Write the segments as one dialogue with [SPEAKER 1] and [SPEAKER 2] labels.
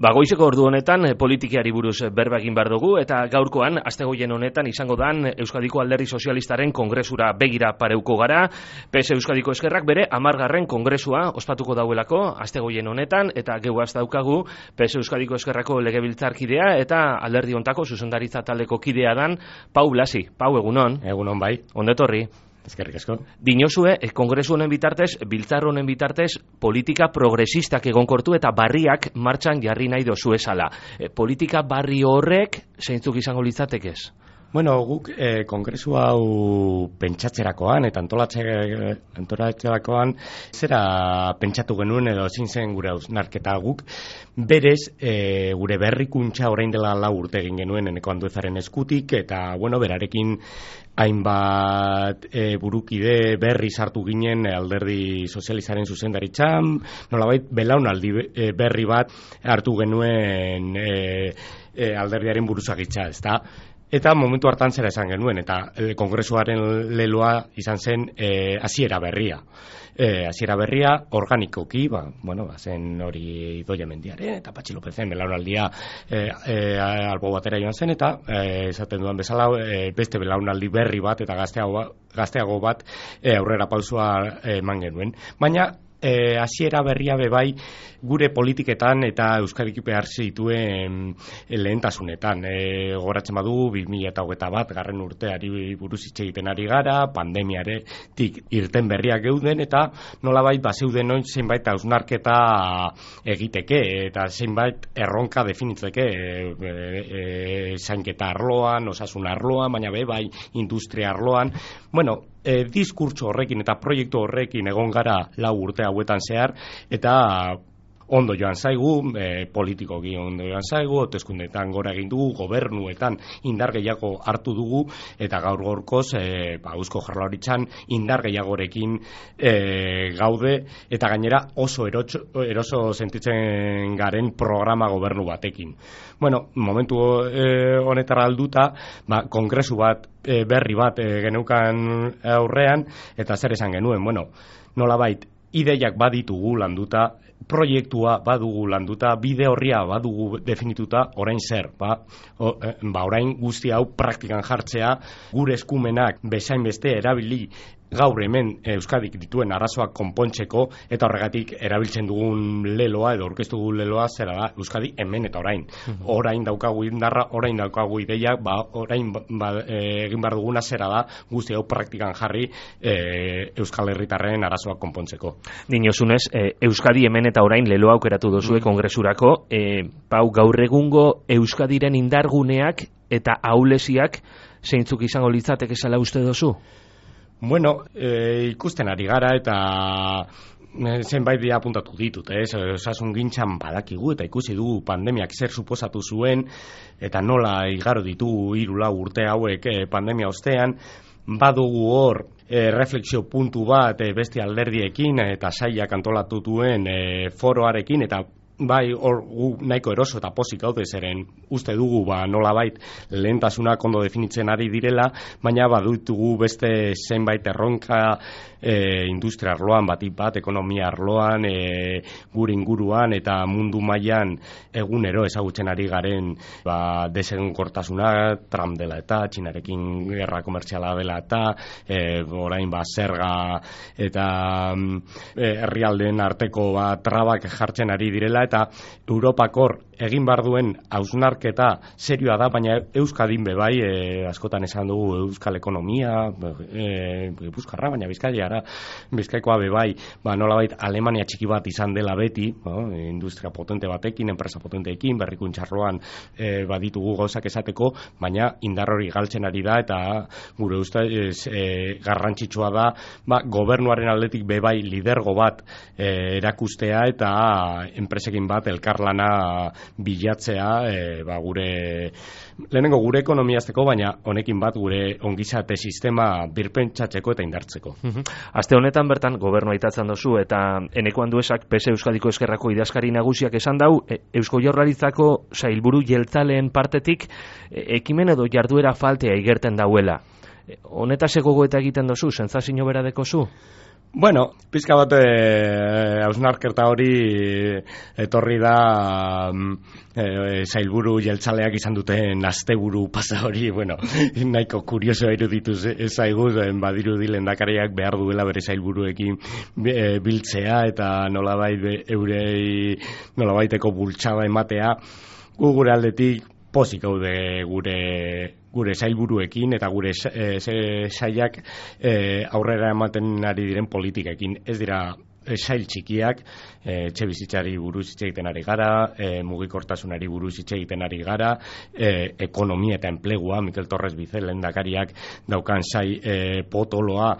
[SPEAKER 1] Goizeko ordu honetan politikiari buruz berba egin behar dugu eta gaurkoan astegoien honetan izango dan Euskadiko Alderdi Sozialistaren kongresura begira pareuko gara. PS Euskadiko Ezkerrak bere 10. kongresua ospatuko dauelako astegoien honetan eta geuaz daukagu PS Euskadiko Ezkerrako legebiltzarkidea eta alderdi hontako zuzendaritza taldeko kidea dan Pau Blasi. Pau, egunon.
[SPEAKER 2] Egunon bai.
[SPEAKER 1] Ondetorri.
[SPEAKER 2] Eskerrik asko.
[SPEAKER 1] Dinozue, kongresu honen bitartez, biltzar honen bitartez, politika progresistak egonkortu eta barriak martxan jarri nahi dozu esala. Politika barri horrek zeintzuk izango litzatekez?
[SPEAKER 2] Bueno, guk kongresu hau pentsatzerakoan eta antolatzerakoan zera pentsatu genuen edo ezin zen gure hausnarketa guk. Berez, gure berrikuntza orain dela 4 urte egin genuen Eneko Anduezaren eskutik eta, bueno, berarekin hainbat burukide berri sartu ginen alderdi sozialistaren zuzendaritzan, nolabait belaunaldi berri bat hartu genuen alderdiaren buruzagitza, ezta? Eta momentu hartan zera esan genuen, eta kongresuaren leloa izan zen hasiera berria. Hasiera berria organikoki, zen hori Idoia Mendiaren eta Patxi Lopezen belaunaldia albo batera joan zen, eta esaten dudan bezala beste belaunaldi berri bat eta gazteago bat aurrera pausua eman genuen. Baina hasiera berria bebai gure politiketan eta Euskadik behar zituen lehentasunetan. Goratzen badu 2021 garren urteari buruz hitz egiten ari gara, pandemiaretik irten berriak geuden eta nolabait bazeuden oin zeinbait hausnarketa egiteke eta zeinbait erronka definitzeke zainketa arloan, osasun arloan, baina bebai industria arloan. Bueno, diskurtso horrekin eta proiektu horrekin egon gara 4 urte hauetan zehar eta ondo joan zaigu, politikoki ondo joan zaigu, hauteskundeetan gora egin dugu, gobernuetan indar gehiago hartu dugu eta gaur gorkoz Eusko Jaurlaritzan indar gehiagorekin gaude eta gainera oso eroso sentitzen garen programa gobernu batekin. Bueno, momentu honetara alduta, kongresu bat berri bat geneukan aurrean eta zer esan genuen, bueno, nolabait ideiak baditugu landuta, proiektua badugu landuta, bide horria badugu definituta, orain zer, orain guzti hau praktikan jartzea, gure eskumenak bezain beste erabili gaur hemen Euskadik dituen arazoak konpontzeko eta horregatik erabiltzen dugun leloa edo aurkeztu dugun leloa zera da Euskadi hemen eta orain. Orain daukagu indarra, orain daukagu ideia, orain egin behar duguna zera da guzti hau praktikan jarri Euskal Herritarren arazoak konpontzeko.
[SPEAKER 1] Dinozunez, Euskadi hemen eta orain leloa aukeratu dozue kongresurako, Pau, gaur egungo Euskadiren indarguneak eta ahulesiak zeintzuk izango litzateke zela uste dozu?
[SPEAKER 2] Bueno, ikusten ari gara eta zenbait dira apuntatu ditut, osasun gintzan badakigu eta ikusi dugu pandemiak zer suposatu zuen eta nola igaro ditugu 3-4 urte hauek pandemia ostean, badugu hor refleksio puntu bat beste alderdiekin eta sailak antolatu duen foroarekin eta bai, hor nahiko eroso eta pozik gaude zeren uste dugu nolabait lehentasunak ondo definitzen ari direla, baina badutugu beste zenbait erronka industria arloan, batik bat, ekonomia arloan, gure inguruan eta mundu mailan egunero ezagutzen ari garen desegonkortasuna, Trump dela eta Txinarekin gerra komertziala dela eta orain zerga eta herrialdeen arteko trabak jartzen ari direla eta Europakor egin behar duen hausnarketa serioa da, baina Euskadin bebai, askotan esan dugu Euskal ekonomia, Gipuzkoarra, baina Bizkaikoa bebai, nolabait Alemania txiki bat izan dela beti, industria potente batekin, enpresa potenteekin, berrikuntxarroan baditugu gauzak esateko, baina indar hori galtzen ari da eta gure ustez garrantzitsua da, gobernuaren aldetik bebai lidergo bat erakustea eta enpresekin bat elkarlana bilatzea lehenengo gure ekonomiazteko, baina honekin bat gure ongizate sistema birpentsatzeko eta indartzeko.
[SPEAKER 1] Aste honetan bertan gobernua itatzen dozu eta Eneko Anduezak PS Euskadiko Ezkerrako idazkari nagusiak esan dau Eusko Jaurlaritzako sailburu jeltzaleen partetik ekimen edo jarduera faltea igerten dauela. Honetaz gogoeta egiten dozu, sentsazio bera dekozu?
[SPEAKER 2] Bueno, pizka bat hausnarketa hori etorri da sailburu jeltzaleak izan duten asteburu pasa hori, bueno, nahiko kuriosoa iruditu zaigu, badirudi lehendakariak behar duela bere sailburuekin biltzea eta nolabaiteko bultzada ematea. Gure aldetik pozik gaude gure sailburuekin eta gure sailak aurrera ematen ari diren politikekin. Ez dira sail txikiak, etxe bizitzari buruz hitz egiten ari gara, mugikortasunari buruz hitz egiten ari gara, ekonomia eta enplegua, Mikel Torres Bizel lehendakariak daukan sail potoloa,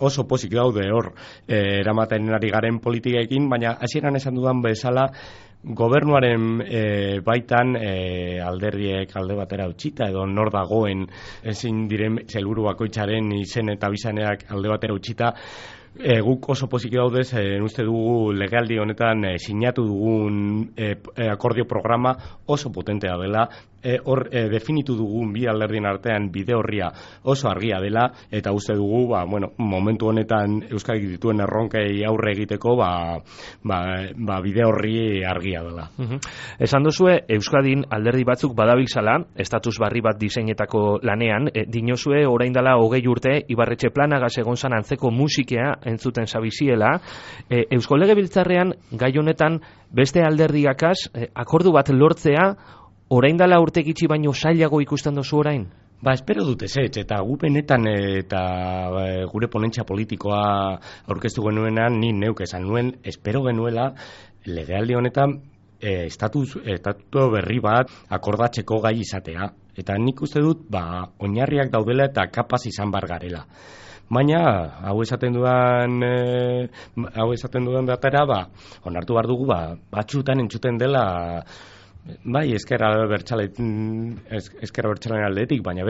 [SPEAKER 2] oso pozik daude hor eramaten ari garen politikekin, baina hasieran esan dudan bezala, gobernuaren baitan alderdiek alde batera utzita edo nor dagoen ezin diren sailburu bakoitzaren izen eta bizaneak alde batera utzita, guk oso pozik daudez, uste dugu legealdi honetan sinatu dugun akordio programa oso potentea dela, hor definitu dugun bi alderdien artean bide horria oso argia dela, eta uste dugu momentu honetan Euskadik dituen erronkei aurre egiteko bide horri argia dela.
[SPEAKER 1] Esan duzue, Euskadin alderdi batzuk badabiltzala, estatus barri bat diseinetako lanean, dinozue orain dela 20 urte Ibarretxe Planagaz egon zan antzeko musikea entzuten zabiziela, Eusko Legebiltzarrean gai honetan beste alderdiakaz akordu bat lortzea orain dela urte gitxi baino zailago ikusten duzu orain?
[SPEAKER 2] Espero dut ez, eta gu benetan eta gure ponentzia politikoa aurkeztu genuenan, ni neuk esan nuen, espero genuela legealdi honetan estatu berri bat akordatzeko gai izatea. Eta nik uste dut, oinarriak daudela eta kapaz izan bar garela. Baina, hau esaten dudan datera, onartu behar dugu, batzutan entzuten dela, ezker abertzalean aldetik, baina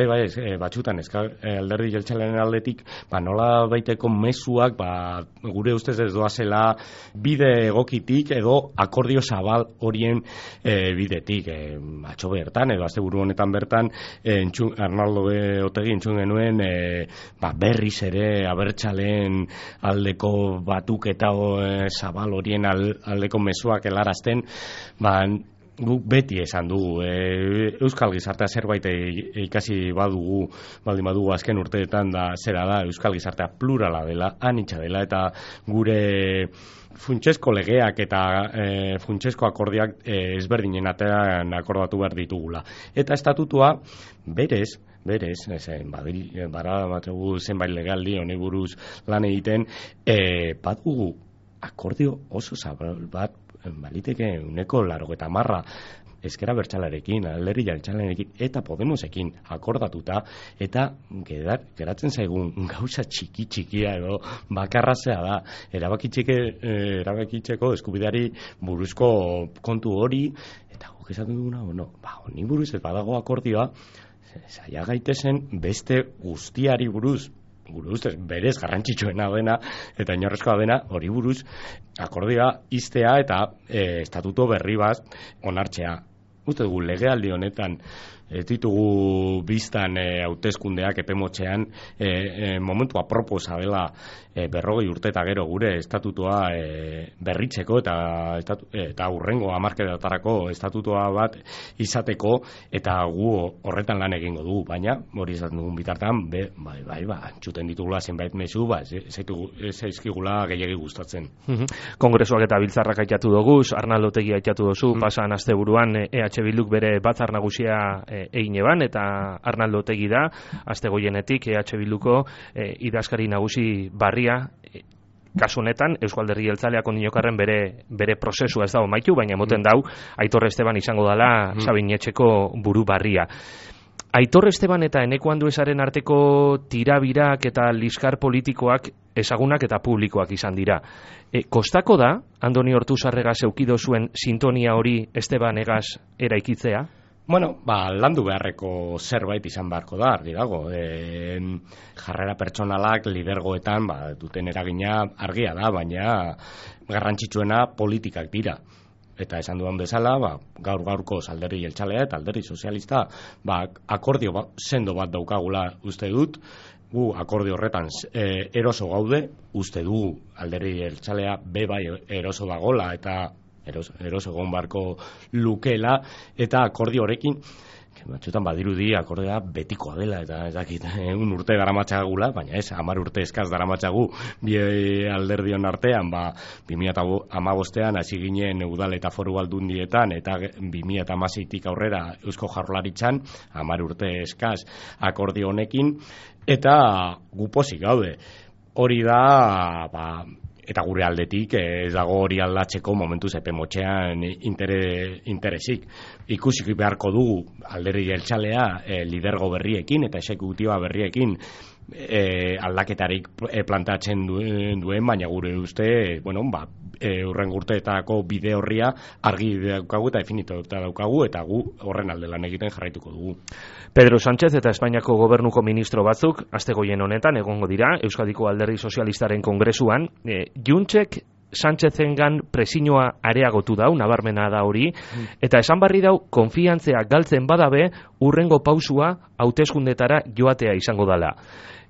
[SPEAKER 2] batzutan alderdi jeltzalean aldetik, nola baiteko mezuak, gure ustez ez doazela bide egokitik edo akordio zabal horien bidetik. Atzo bertan, edo asteburu honetan bertan, Arnaldo Otegi entzun genuen, berriz ere abertzaleen aldeko batuketa zabal horien aldeko mezuak helarazten, guk beti esan dugu, Euskal Gizartea zerbait ikasi baldin badugu azken urteetan zera da, Euskal Gizartea plurala dela, anitza dela, eta gure funtsezko legeak eta funtsezko akordiak ezberdinen atean akordatu behar ditugula. Eta estatutua berez, badamategu zenbait legaldi honi buruz lan egiten, badugu akordio oso zabal bat baliteke 90% ezker abertzalearekin, alderdi jeltzalearekin eta Podemosekin akordatuta, eta geratzen zaigun gauza txikia edo bakarrazea da erabakitzeko eskubideari buruzko kontu hori, eta guk esaten duguna, honi buruz ez badago akordioa, zaila gaitezen beste guztiari buruz, gure ustez berez garrantzitsuena dena eta inorrezkoa dena hori buruz akordioa iztea eta estatuto berri bat onartzea. Uste dugu legealdi honetan ez ditugu biztan hauteskundeak epemotzean, momentu aproposa dela 40 urte eta gero gure estatutoa berritzeko eta hurrengo hamarkadetarako estatutoa bat izateko, eta gu horretan lan egingo dugu, baina hori esaten dugun bitartean entzuten ditugula zenbait mezu, zaizkigula gehiegi gustatzen.
[SPEAKER 1] Kongresuak eta biltzarrak aitatu dugu, Arnaldo Otegi aitatu duzu, pasan asteburuan EH Bilduk bere batzar nagusia egin eban, eta Arnaldo Otegi da aste goienetik EH Bilduko idazkari nagusi barria, kasu honetan Eusko Alderdi Jeltzaleak ondinokarren bere prozesua ez dago maitu, baina moten dau Aitor Esteban izango dela Sabinetxeko buru barria. Aitor Esteban eta Eneko Anduezaren arteko tirabirak eta liskar politikoak ezagunak eta publikoak izan dira. Kostako da Andoni Ortuzarregaz eukido zuen sintonia hori Esteban egaz eraikitzea?
[SPEAKER 2] Landu beharreko zerbait izan beharko da, argi dago. Jarrera pertsonalak lidergoetan duten eragina argia da, baina garrantzitsuena politikak dira. Eta esan duan bezala, gaur-gaurko alderdi jeltzalea eta alderdi sozialista akordio sendo bat daukagula uste dut, gu akordio horretan eroso gaude, uste dugu alderdi jeltzalea bai eroso dagola eta eroso egon barko lukela, eta akordio horrekin batzutan badirudi akordea betikoa dela, eta ez dakit, 1 urte daramatzagula, baina ez, 10 urte eskaz daramatzagu bi alderdion artean, 2015ean hasi ginen udal eta foru aldundietan, eta 2016tik aurrera Eusko Jaurlaritzan 10 urte eskaz akordio honekin, eta gu pozik gaude. Hori da, eta gure aldetik ez dago hori aldatzeko momentuz epe motxean interesik. Ikusik beharko dugu alderdi jeltzalea lidergo berriekin eta exekutiba berriekin aldaketarik plantatzen duen, baina gure uste, hurrengo urteetako bide horria argi daukagu eta definituta daukagu, eta gu horren alde lan egiten jarraituko dugu.
[SPEAKER 1] Pedro Sánchez eta Espainiako gobernuko ministro batzuk astegoien honetan egongo dira Euskadiko Alderdi Sozialistaren kongresuan. Juntzek Sánchezengan presioa areagotu dau, nabarmena da hori, eta esan barri dau konfiantzea galtzen badabe urrengo pausua hauteskundetara joatea izango dela.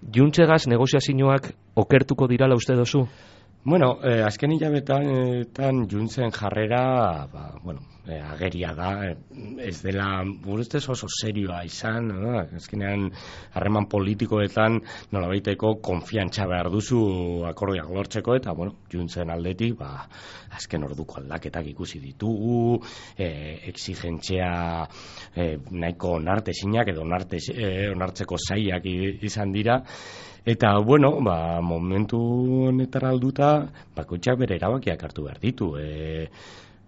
[SPEAKER 1] Juntzegaz negoziazioak okertuko dirala uste dozu?
[SPEAKER 2] Bueno, azken hilabetan Juntzen jarrera, ageria da, ez dela, ustez oso serioa izan, azkenean harreman politikoetan nolabaiteko konfiantza behar duzu akordiak lortzeko, eta, Juntzen aldetik, azken orduko aldaketak ikusi ditugu, exigentzia nahiko onartezinak edo onartzeko zailak izan dira, eta, momentu honetara alduta, bakoitzak bere erabakiak hartu behar ditu.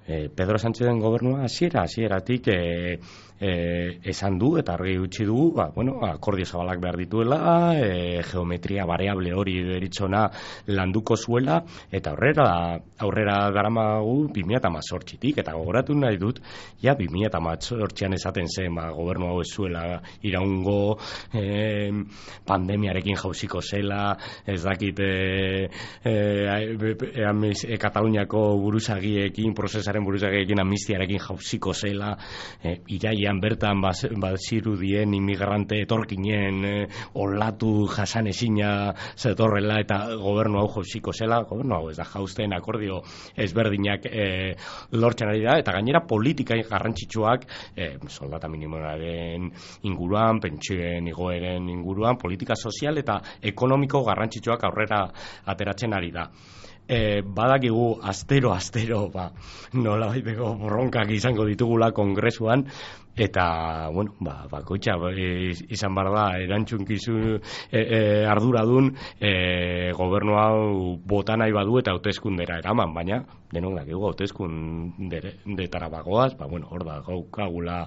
[SPEAKER 2] Pedro Sánchezen gobernua hasieratik esan du eta argi utzi dugu, akordio zabalak behar dituela, geometria variable hori deritzona landuko zuela, eta aurrera daramagu 2018tik, eta gogoratu nahi dut, 2018an esaten zen, gobernu hau ez zuela iraungo, pandemiarekin jauziko zela, ez dakit Kataluniako buruzagiekin, prozesaren buruzagiekin amnistiarekin jauziko zela, iraian bertan bazirudien inmigrante etorkinen olatu jasanezina zetorrela, eta gobernu hau jauziko zela. Gobernu hau ez da jauzten, akordio ezberdinak lortzen ari da, eta gainera politika garrantzitsuak soldata minimoaren inguruan, pentsioen igoeren inguruan, politika sozial eta ekonomiko garrantzitsuak aurrera ateratzen ari da. Badakigu astero nola baiteko borronkak izango ditugula kongresuan, eta bakoitza izan behar da erantzunkizun arduradun gobernu hau bota nahi badu eta hauteskundera eraman, baina denok dakigu hauteskundetara bagoaz, hor da gaukagula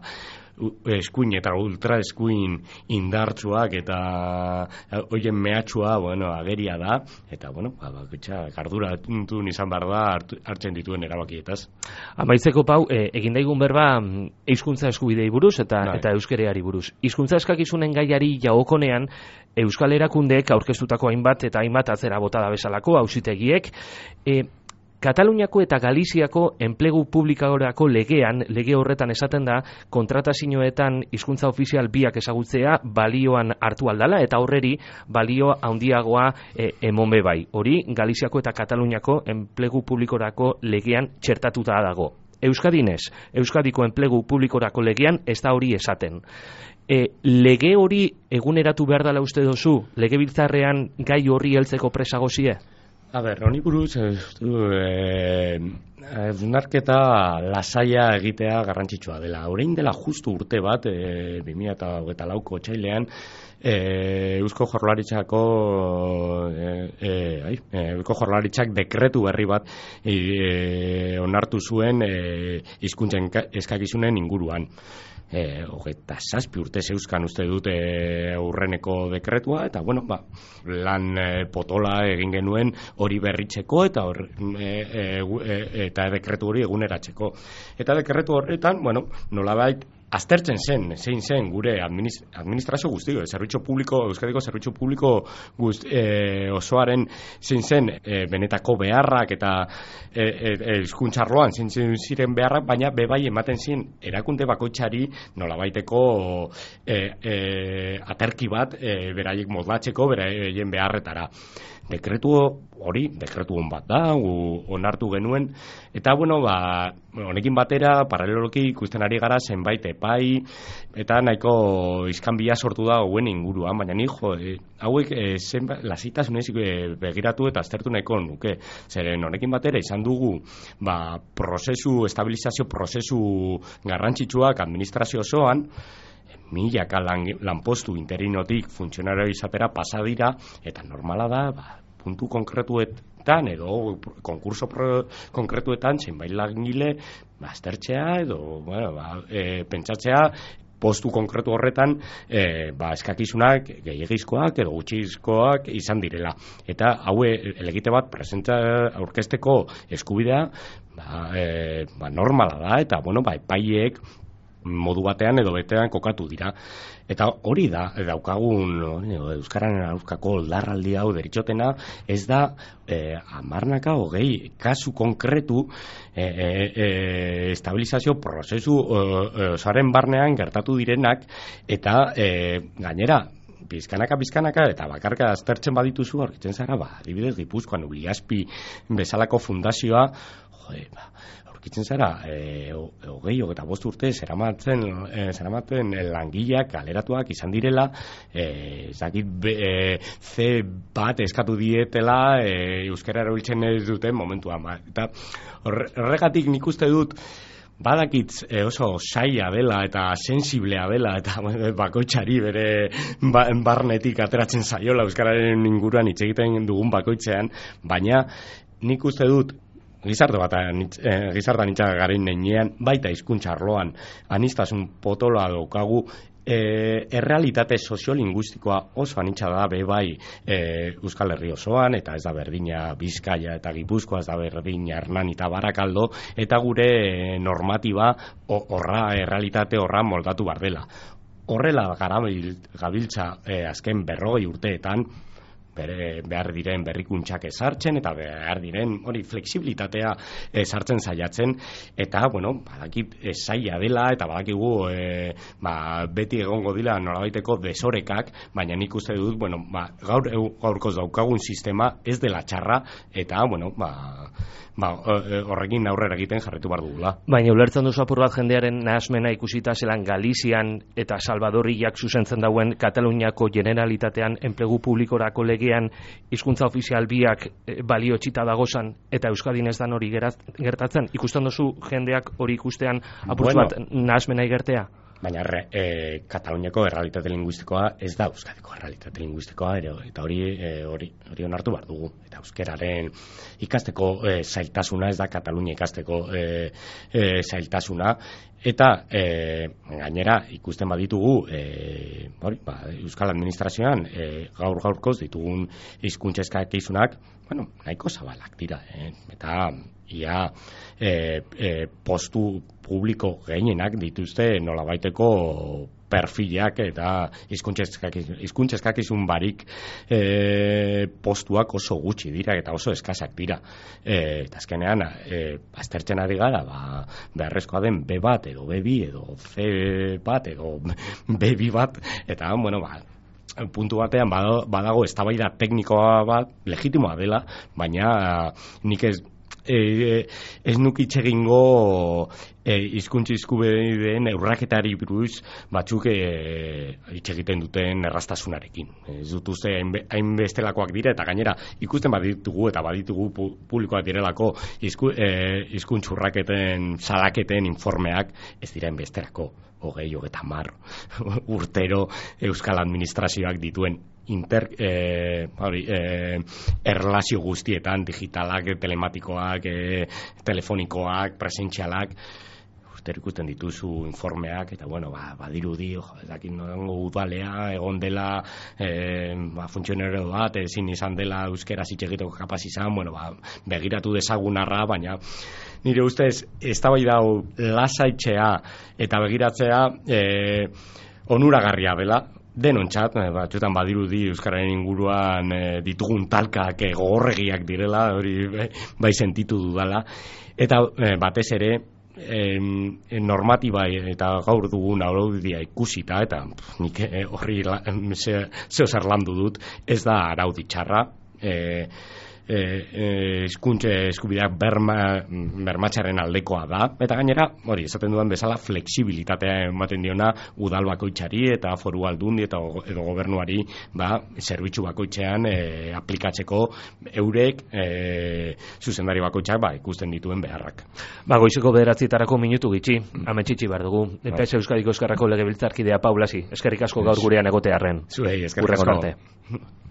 [SPEAKER 2] eskuin eta ultra eskuin indartsuak eta hoien mehatxua ageria da, eta bakoitza arduratun izan behar da hartzen dituen erabakietaz.
[SPEAKER 1] Amaitzeko, Pau, egin daigun berba hizkuntza eskubidei buruz eta euskereari buruz. Hizkuntza eskakizunen gaiari jagokonean Euskal Erakundeek aurkeztutako hainbat atzera botada bezalako auzitegiek Kataluniako eta Galiziako enplegu publikorako lege horretan esaten da, kontratazioetan hizkuntza ofizial biak ezagutzea balioan hartu aldala, eta horreri balio handiagoa emon bai. Hori Galiziako eta Kataluniako enplegu publikorako legean txertatuta dago. Euskadinez, Euskadiko enplegu publikorako legean ez da hori esaten. Lege hori eguneratu behar dela uste dozu, legebiltzarrean gai horri heltzeko presagozie?
[SPEAKER 2] Honi buruz, hausnarketa lasaia egitea garrantzitsua dela. Orain dela justu urte bat, 2024ko otsailean, Eusko Jaurlaritzak dekretu berri bat onartu zuen hizkuntzen eskakizunen inguruan. 27 urte zeuzkan uste dute aurreneko dekretua, eta lan potola egin genuen hori berritzeko eta dekretu hori eguneratzeko. Eta dekretu horretan, nolabait aztertzen zein zen gure administrazio guztiko, Euskadiko zerbitzu publiko osoaren zein zen benetako beharrak eta hizkuntzarloan zein ziren beharrak, baina bebai ematen ziren erakunde bakoitzari nolabaiteko aterki bat beraiek moldatzeko beraien beharretara. Dekretu on bat da, onartu genuen, eta honekin batera, paraleloki ikusten ari gara zenbait epai, eta nahiko iskanbila sortu da hauen inguruan, baina hauek lasitasunez begiratu eta aztertu nahiko nuke. Zeren honekin batera izan dugu, estabilizazio prozesu garrantzitsuak administrazio osoan, milaka lanpostu interinotik funtzionario izatera pasa dira, eta normala da, puntu konkretuetan edo konkurso konkretuetan zenbait langile aztertzea edo pentsatzea postu konkretu horretan eskakizunak gehiegizkoak edo gutxizkoak izan direla. Eta haue elegite bat aurkezteko eskubidea normala da, eta epaileek modu batean edo betean kokatu dira. Eta hori da, daukagun Euskararen aurkako larraldi hau deritxotena, ez da 10-20 kasu konkretu estabilizazio prozesu osoaren barnean gertatu direnak, eta gainera bizkanaka eta bakarka aztertzen badituzu aurkitzen zara, adibidez Gipuzkoan Uliaspi bezalako fundazioa, aurkitzen zara 25 urte zeramaten langileak kaleratuak izan direla, C bat eskatu dietela euskara erabiltzen ez duten momentuan. Eta horregatik nik uste dut badakitz oso saia dela eta sensiblea dela eta bakoitzari bere barnetik ateratzen zaiola euskararen inguruan hitz egiten dugun bakoitzean, baina nik uste dut gizartean itxaga garen nenean, baita hizkuntza arloan aniztasun potoloa daukagu, errealitate soziolinguistikoa oso anitza da bai Euskal Herri osoan, eta ez da berdina Bizkaia eta Gipuzkoa, ez da berdina Hernani eta Barakaldo, eta gure normatiba errealitate horra moldatu bar dela. Horrela gabiltza azken 40 urteetan, behar diren berrikuntzak ezartzen eta behar diren hori fleksibilitatea ezartzen saiatzen, eta badakit zaila dela eta badakigu beti egongo dira nolabaiteko desorekak, baina nik uste dut gaurkoz daukagun sistema ez dela txarra, eta horrekin aurrera egiten jarritu behar dugula.
[SPEAKER 1] Baina ulertzen duzu apur bat jendearen nahasmena ikusita zelan Galizian eta Salvadorriak zuzentzen dauen Kataluniako Generalitatean enplegu publikorako legean hizkuntza ofizial biak balio txita dagozan eta Euskadin ez dan hori gertatzen? Ikusten duzu jendeak hori ikustean apur bat nahasmena igertea?
[SPEAKER 2] Baina Kataluniako errealitate linguistikoa ez da Euskadiko errealitate linguistikoa, eta hori onartu behar dugu. Eta euskararen ikasteko zailtasuna ez da Katalunia ikasteko zailtasuna, eta gainera ikusten baditugu Euskal Administrazioan gaurkoz ditugun hizkuntza eskakizunak nahiko zabalak dira, eta ia postu publiko gehienak dituzte nolabaiteko perfilak eta hizkuntza eskakizun barik postuak oso gutxi dira eta oso eskasak dira, eta azkenean aztertzen ari gara beharrezkoa den B bat edo B2 edo C bat edo B2 bat, eta puntu batean badago eztabaida teknikoa bat legitimoa dela, baina nik ez nukitxe egingo hizkuntza eskubideen urraketari buruz batzuk hitz egiten duten erraztasunarekin. Ez dut uste hainbestelakoak dira, eta gainera ikusten baditugu publikoak direlako hizkuntza urraketen salaketen informeak ez dira hainbesterako 20-30 urtero Euskal Administrazioak dituen erlazio guztietan, digitalak, telematikoak, telefonikoak, presentzialak, ikusten dituzu informeak, eta badirudi ezakin nongo udalea egon dela funtzionario bat, ezin izan dela euskera hitz egiteko kapaz izan, begiratu dezagun arra, baina nire ustez, eztabaida hau lasaitzea eta begiratzea onuragarria dela, denontzat, batzuetan badirudi euskararen inguruan ditugun talkak gogorregiak direla, hori bai sentitu dudala, eta batez ere normatiba eta gaur dugun araudia ikusita, eta nik horri zeozer landu dut, ez da araudi txarra, hizkuntza eskubideak bermatzearen aldekoa da, eta gainera, hori, esaten dudan bezala, flexibilitatea ematen diona udal bakoitzari eta foru aldundi eta edo gobernuari zerbitzu bakoitzean aplikatzeko eurek zuzendari bakoitzak ikusten dituen beharrak.
[SPEAKER 1] Goizeko 9:00 minutu gitxi, ametxitxi behar dugu. PS Euskadiko Ezkerrako legebiltzarkidea Paulasi, eskerrik asko gaur gurean egotearren.
[SPEAKER 2] Zuei, eskerrik asko.
[SPEAKER 1] Urrengor arte.